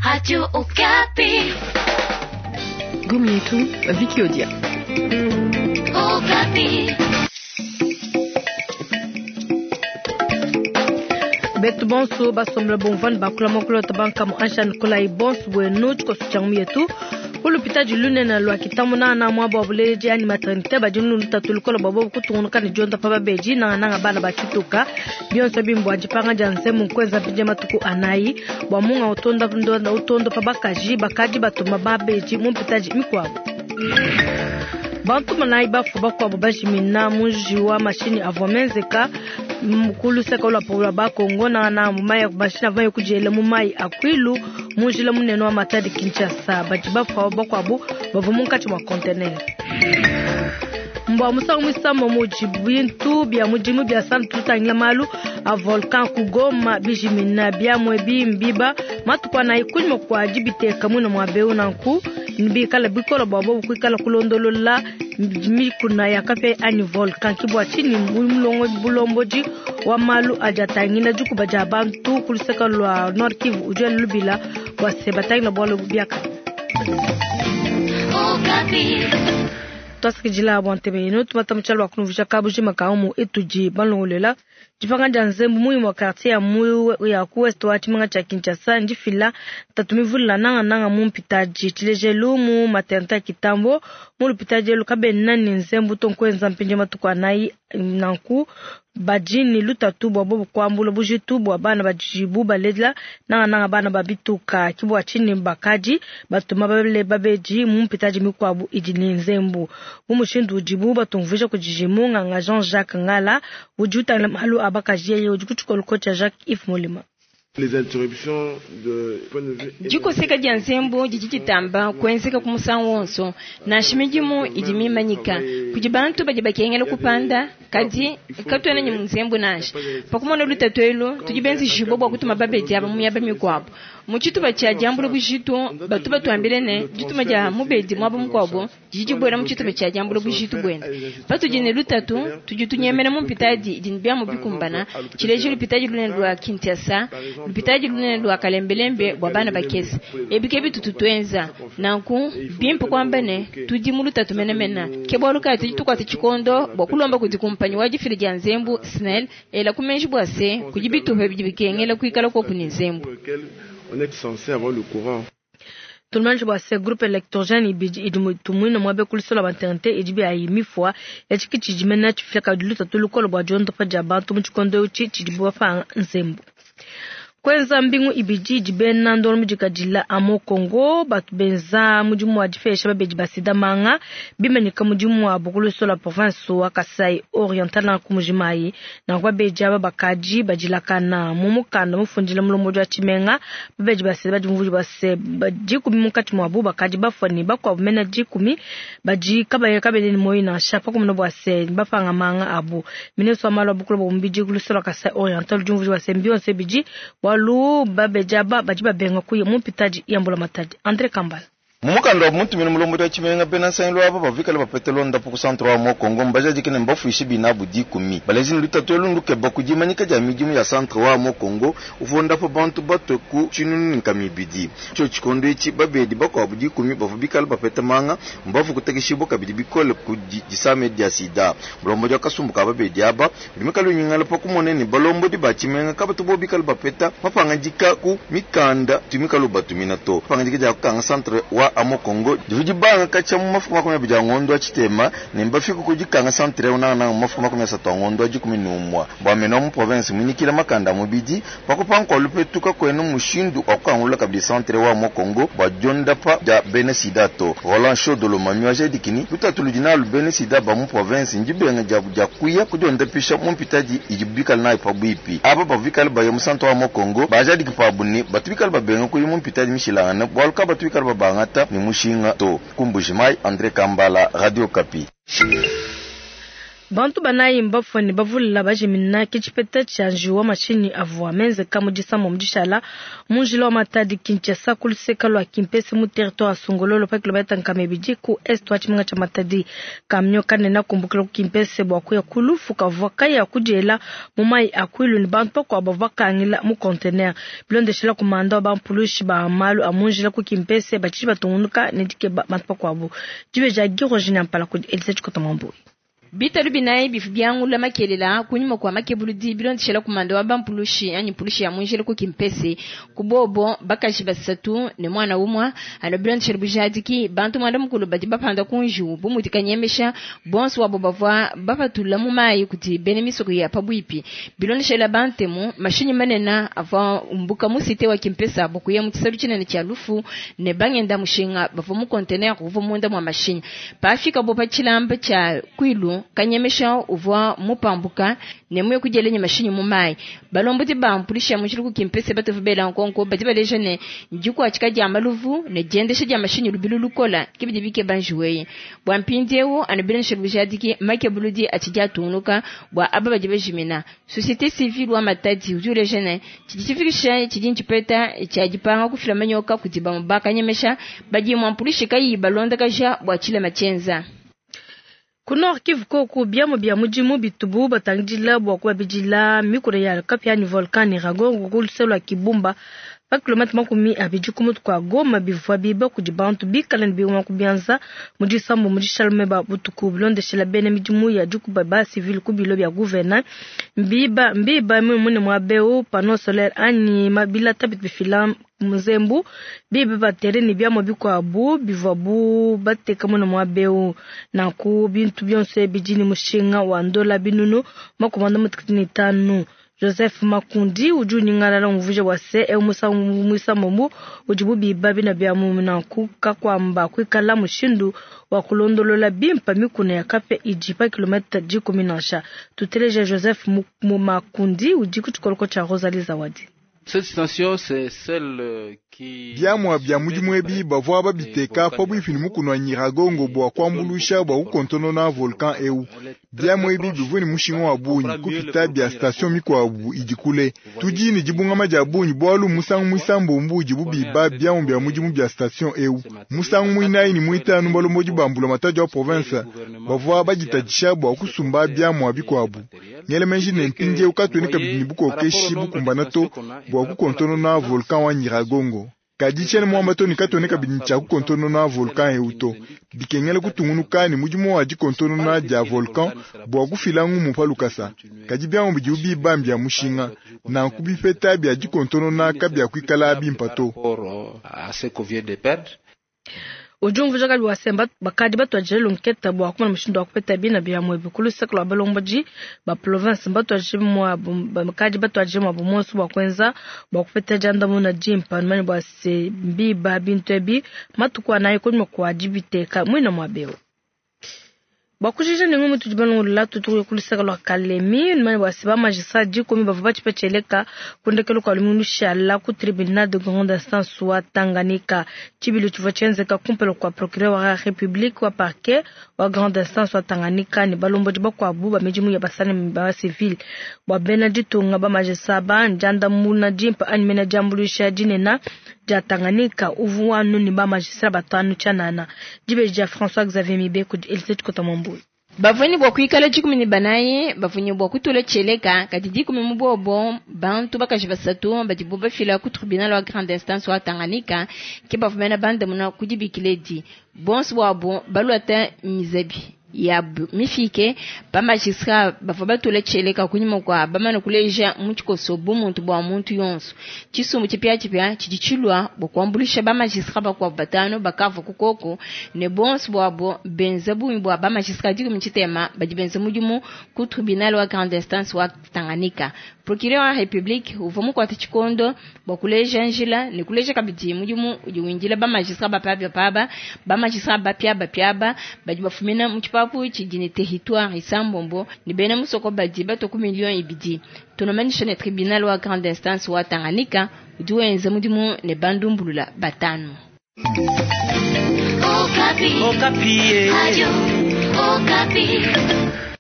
Radio Okapi. Gomietu, Vicky Odia. Okapi. Betu bonso basombela bomvani bakula mokolo tabanka mu ansha Nikolai bonso bwenu tshikoso tshia yetu kulupita lunene lwa kitamuna na mwabo wa buleji ani maternité badi lutatu lukola bwa bobu kutungunuka ne dionda pa babeji nangananga bana batshituka bionso bimbwa dipanga dia nzemu nkwenza mpindia matuku anayi bwa munga utonda ndonda utondo pa bakaji bakadi batuma babeji mumpitaji mikuabo bantu manayi bafu bakuabo bajimina muji wa mashini avua menzeka mukulu seka lwa bakongo na mu mashini avua kudiela mu mayi akwilu munjila munene wa Matadi Kinshasa badi bafu bakuabo bavua munkatshi mua conteneur mbwa musangu musambo muji bintu bia mudimu bia santu tutangila malu a volcan kugoma bijimina biamwe bimbiba matuku anayi kunyima kua dibiteka mwina mua beu nanku bikala bikola bua bobu kuikala kulondolola mikuna ya kape anyi volcan kibwa chini mulongo bulombodi wa malu adi atangila dikuba dia bantu kuluseka lwa Nord Kivu udi lubila bua se batangila bualu biaka Okapi. twasikidila bua ntebe yenu tumata mutshalo wa kunuvuja kabujima ka umu etudi balongolela dipanga dia nzembu muyi mwa quartier ya mu ya ku west wa tshimenga tshia Kinshasa ndifila tatu mivulila nangananga mu mpitaji tshilejelu mu maternité ya Kitambo mu lupitaji elu kabena ne nzembu to nkuenza mpindia matuku anayi nanku badi lutatu bua bobu kuambula bujitu bua bana badibu balela nangananga bana babituka kibua tshini bakadi batuma babele babedi mu mpitaji mikuabu idi ne nzembu mu mushindu udibu batumvuija kudi munganga Jean-Jacques Ngala udi utangila malu a bakaji yeye udi ku tshikolo tshia Jacques Yves Molima. Les interruptions de point de vue dikoseka dia nzembu didi ditamba kuenzeka ku musangu wonso nansha midimu idi mimanyika kudi bantu badi bakengela kupanda kadi katuena ne nzembu nansha pakumona lutatu elu tudi benzejibue bua kutuma babedi aba mu miaba mikuabu mu tshitupa tshia diambula bujitu batu batuambile ne dituma dia mubedi muaba mukuabu didi dibuela mu tshitupa tshia diambula bujitu buende patudi ne lutatu tudi tunyemena mu mpitadi idi ne biamu bikumbana tshilejilu lupitadi lunene lua Kinshasa lupitadi lunene lua Kalembelembe bua bana bakese ebi ke bitutu tuenza nanku bimpe kuamba ne tudi mu lutatu menemene ke bualu kayi tudi tukuata tshikondo bua kulomba kudi kumpanyi wa difila dia nzembu SNEL ela kumenji bua se kudi bitupa bidi bikengela kuikala koku ne nzembu pour lequel on est censé avoir le courant. Tumanje bua se groupe électrogène ibidi idi tumuina muabe kulisola maternité idi biayi mifua yatshiki tshidimena tshifila kadi lutatu lukola bua diondopa dia bantu mu tshikondo etshi tshidibu bapanga nzembu kwenza mbingu ibidi idi bena ndolo mudikadila amo Congo batu benza mudimu wa difesha babedi basida manga bimanyika mudimu wa bukulusola province wa Kasai Oriental na kumujimayi na babedi aba bakadi badilakana mu mukanda mufundila mulombodi wa tshimenga babedi basida badi muvudi base dikumi munkatshi muabu bakadi bafua ne bakuabu mena dikumi badi kabaye kabene ne moyo nansha pakumuna bua se bapanga manga abu ministre wa malu a bukulu bua mubidi kulusola Kasai Oriental udi muvudi base mbionso bidi walu babeja ba badi babenga kuya mu mpitadi ya mbula matadi Andre Kambala. Mumukanda wa muntu mulombodi wa tshimenga bena nsangilu aba bavikala bapete londapo ku centre wa Mokongo mbajadike ne mbafuishe binabu dikumi balezi ne lutatu elu ndukeba ku dimanyika dia midimu ya centre wa Mokongo uvondapo bantu batwe ku tshinunu ne nkama ibidi tshio tshikondo etshi babedi bakuabu dikumi bavua bikala bapete manga mbavu kutekeshibua kabidi bikole ku disame dia sida. Mulombodi wa kasumbu ka babedi aba udi mikala unyingala pa kumona ne balombodi ba tshimenga kabatu bo bikala bapeta mapangadika ku mikanda tumikala batumina to pangadika dia kukanga centre wa Amokongo dividi banga kacha mu mafuku 20 a ngondo a tshitema ne mbafika ku dikanga centre unanga mu mafuku 30 a ngondo a 11 bua mena mu province munikila makanda mubidi pakupanka lupetuka kwenu mushindu wa kukangula kabidi centre wa Amokongo bua diondapa dia bena sida to Roland Shodolo mami wa jadikini lutatu ludi nalu bena sida ba mu province ndibenga dia dia kuya kudiondapisha mu mpitadi idi bikala nayo pabuipi aba bavikala baya mu centre wa Amokongo bajadiki pabu ne batu bikala babenga kuya mu mpitadi mishilangane bualu ka batu bikala babangata ni mushinga to. Ku Mbujimayi, Andre Kambala, Radio Okapi. Bantu banayi mbafue ne bavule bajimina ke tshipeta tshia njiwu wa mashinyi avua menzeka mu disambombo dishala mu njila wa Matadi Kinshasa ku luseke lua Kimpese mu territoire wa Songololo pa kilometa 200 ku est wa tshimenga tshia Matadi. Kamio kanene kumbukila ku Kimpese bua kuya ku lufu kavua kaya kudiela mu mayi a kwilu ne bantu bakuabu bavua bakangila mu conteneur. Bilondeshela ku manda wa bampulushi ba malu a mu njila ku Kimpese batshidi batungunuka ne dikeba bantu bakuabu. Dibeji dia Guy Roger Nyampala kudi Elise Tshikota Mwambui. Bitalu binayi bifu byangula makelela kunyuma kwa makebuludi bilondeshela kumanda wa bampulushi anyi mpulushi ya munjila ku Kimpese kubobo bakaji basatu ne mwana umwa ano bilondeshela bujadiki bantu mwanda mukulu badi bapanda kunju bumudi kanyemesha bonso wabo bavwa bapatula mu mayi kuti bene misoko ya pabwipi bilondeshela bantemu mashinyi manena ava umbuka mu cité wa Kimpesa bokuya mu tshisalu tshinene tshia lufu ne bangenda mushinga bavwa mu conteneur uva munda mwa mashinyi pafika bo pa tshilamba tshia kwilu kanyemesha uvwa mupambuka ne muye kujelenya mashinyi mu mayi balombodi ba mpulisha mu tshiluku Kimpese batovu bela nkonko badi baleja ne ndikwathika dia maluvu ne diendesha dia mashinyi lubilu lukola kibidi bike banjuweye bwa mpindiewu anu bilondeshela bujadiki makebuludi atshidi atungunuka bua aba badi bajimina. Société civile wa Matadi udi uleja ne tshidi tshifikisha tshidi ntshipeta tshia dipanga kufila manyoka kudi bamue bakanyemesha badi mua mpulishi kayi balondakaja bua tshilema tshienza. Ku Nord Kivu koku biamu bia mudimu bitubu batangidila bua kubabidila mikuna ya kapia ni volcan Nyiragongo ku luseke lua Kibumba pa kilomita 20 ku mutu kua Goma bivua biba kudi bantu bikale ne bingoma ku bianza mu disambo mu dishalume ba butuku bilondeshela bena midimu ya dikuba ba civil ku bilo bia gouverneur mbiba mbiba mune mwa beu panneau solaire anyi mabilata bifila muzembu bibi batere ne biamua bikuabu bivuabu bateka mune mwa beu nanku bintu byonso bidi ne mushinga wa ndola binunu 55. Joseph Makundi udi unyingalala umvuija bua se eu musangu muisambombo udibu biba bina bia mu nanku kakuamba kuikala mushindu wa kulondolola bimpa mikuna ya kapia idi pa kilomita 10 nansha. Tuteleje Joseph Makundi udi ku tshikoloko tshia Rosalie Zawadi. Cette station, c'est celle qui biamua bia mudimu ebi bavua babiteka pabuipi ne mukuna wa Nyiragongo bua kuambuluisha bua kukontonona volcan eu. Biamua ebi bivua ne mushinga wa bungi kupita bia station mikuabu idi kule. Tudi ne dibungama dia bungi bualu musangu muisambombo udibu biba biamua bia mudimu bia station eu. Musangu muinayi ne muitanu balombodi ba mbulamatadi wa province bavua baditadisha bua kusumba biamua bikuabu. Ngele menji ne mpindiewu katuena kabidi ne bukokeshi bukumbana to bua kukontonona volcan wa Nyiragongo. Kadi tshiena muamba to ne katuena kabidi tshia kukontonona volcan eu to. Bikengela kutungunuka ne mudimu wa dikontonona dia volcan bua kufila ngumu pa lukasa. Kadi biamua bidibu biba mbia mushinga nanku bipeta bia dikontonona kabiakuikala bimpa to. Udi umvuija kabi bua se bakadi batuadije lunketa bua kumona mushindu wa kupeta bina bia muebi ku luseke lua balombodi ba province batuadije muabu bakadi batuadije muabu monso bua kuenza bua kupeta diandamuna dimpa numanye bua se mbiba bintu ebi matuku anayi kunyima kua dibiteka muina muabeu. Bua kujija ne ngumu tudi balongolola tutuku ku luseke lua Kalemi numanye bua se ba magistrat 10 bavua batshipetsheleka ku ndekelu kua lumingu lushala ku tribunal de grande instance wa Tanganyika. Tshibilu tshivua tshienzeka kumpala kua procureur wa République wa parquet wa grande instance wa Tanganyika ne balombodi bakuabu ba midimu ya basani ba civil bua bena ditunga ba magistrat ba ndiandamuna dimpa anyi mena diambuluisha dinene dia Tanganyika uvua anu ne ba magistrat batanu tshianana. Dibeji dia François Xavier Mibe kudi Elisée Tshikota Mwambui. Bavunyi bua kuikala 14 bavunyi bua kutula tshieleka kadi 10 mu bobo bantu bakaji basatu badibu bafila ku tribunal wa grande instance wa Tanganyika ke bavumena bandamuna kudibikiledi bonso bwabo baluata mizabi ya mifike ba magistrat bavua batula tshieleka kunyima kua bamana kuleja mu tshikoso bumuntu bua muntu yonso. Tshisumbu tshipiatshipia tshidi tshilua bua kuambuluisha ba magistrat bakuabu batanu bakavua ku koko ne bonso bwabo benza bungi bua ba magistrat 13 badi benza mudimu ku tribunal wa grande instance wa Tanganyika. Procureur wa République uvua mukuate tshikondo bua kuleja njila ne kuleja kabidi mudimu udi windila ba magistrat bapiabapia ba magistrat bapiabapiaba badi bafumina mu tshipapu tshidi ne territoire isambombo ne bena musoko badi bato ku million ibidi. Tunomanyisha ne tribunal wa grande instance wa Tanganyika udi wenza mudimu ne bandumbulula batanu. Okapi. Okapi. Radio Okapi.